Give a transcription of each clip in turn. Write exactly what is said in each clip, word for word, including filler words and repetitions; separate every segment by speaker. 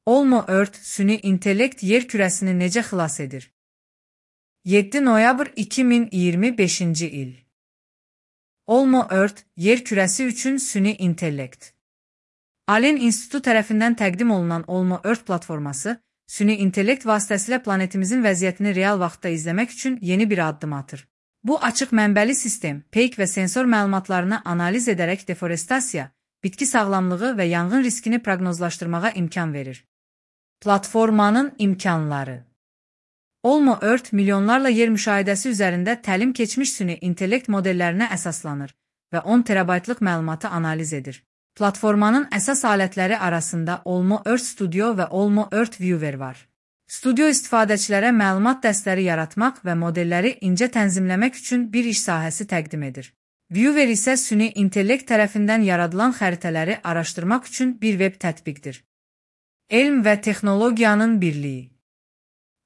Speaker 1: Olmo Earth süni intellekt yer kürəsini necə xilas edir? yeddi noyabr iki min iyirmi beşinci il. Olmo Earth yer kürəsi üçün süni intellekt. Allen İnstitutu tərəfindən təqdim olunan Olmo Earth platforması, süni intellekt vasitəsilə planetimizin vəziyyətini real vaxtda izləmək üçün yeni bir addım atır. Bu açıq mənbəli sistem, peyk və sensor məlumatlarını analiz edərək deforestasiya, bitki sağlamlığı və yanğın riskini proqnozlaşdırmağa imkan verir. Platformanın imkanları. Olmo Earth milyonlarla yer müşahidəsi üzərində təlim keçmiş süni intellekt modellərinə əsaslanır və on terabaytlıq məlumatı analiz edir. Platformanın əsas alətləri arasında Olmo Earth Studio və Olmo Earth Viewer var. Studio istifadəçilərə məlumat dəstləri yaratmaq və modelləri incə tənzimləmək üçün bir iş sahəsi təqdim edir. Viewer isə süni intellekt tərəfindən yaradılan xəritələri araşdırmaq üçün bir web tətbiqdir. Elm və texnologiyanın birliyi.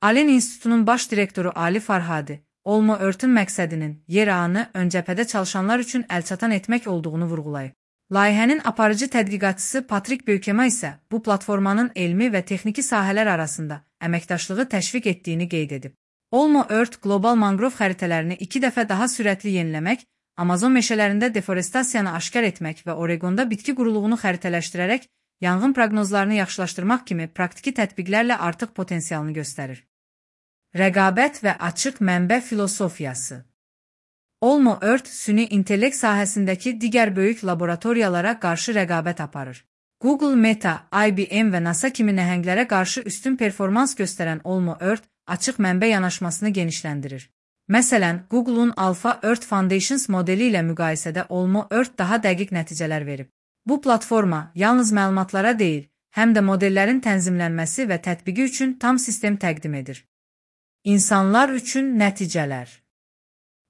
Speaker 1: Allen İnstitutunun baş direktoru Ali Farhadi, Olmo Earth'ın məqsədinin yer ağını ön cəbhədə çalışanlar üçün əlçatan etmək olduğunu vurğulayıb. Layihənin aparıcı tədqiqatçısı Patrik Böykema isə bu platformanın elmi və texniki sahələr arasında əməkdaşlığı təşviq etdiyini qeyd edib. Olmo Earth qlobal mangrov xəritələrini iki dəfə daha sürətli yeniləmək, Amazon meşələrində deforestasiyanı aşkar etmək və Oregonda bitki quruluğunu xəritələşdirərək yanğın proqnozlarını yaxşılaşdırmaq kimi praktiki tətbiqlərlə artıq potensialını göstərir. Rəqabət və açıq mənbə filosofiyası. Olmo Earth süni intellekt sahəsindəki digər böyük laboratoriyalara qarşı rəqabət aparır. Google, Meta, I B M və NASA kimi nəhənglərə qarşı üstün performans göstərən Olmo Earth açıq mənbə yanaşmasını genişləndirir. Məsələn, Google'un Alpha Earth Foundations modeli ilə müqayisədə Olmo Earth daha dəqiq nəticələr verib. Bu platforma yalnız məlumatlara deyil, həm də modellərin tənzimlənməsi və tətbiqi üçün tam sistem təqdim edir. İnsanlar üçün nəticələr.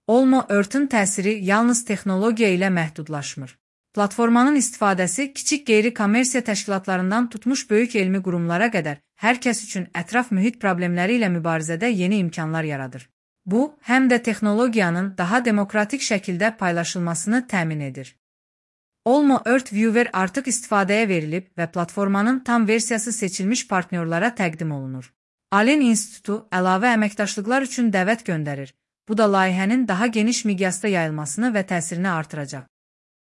Speaker 1: Olmo Earth'ın təsiri yalnız texnologiya ilə məhdudlaşmır. Platformanın istifadəsi kiçik qeyri-kommersiya təşkilatlarından tutmuş böyük elmi qurumlara qədər hər kəs üçün ətraf mühit problemləri ilə mübarizədə yeni imkanlar yaradır. Bu, həm də texnologiyanın daha demokratik şəkildə paylaşılmasını təmin edir. Olmo Earth Viewer artıq istifadəyə verilib və platformanın tam versiyası seçilmiş partnyorlara təqdim olunur. Allen İnstitutu əlavə əməkdaşlıqlar üçün dəvət göndərir. Bu da layihənin daha geniş miqyasda yayılmasını və təsirini artıracaq.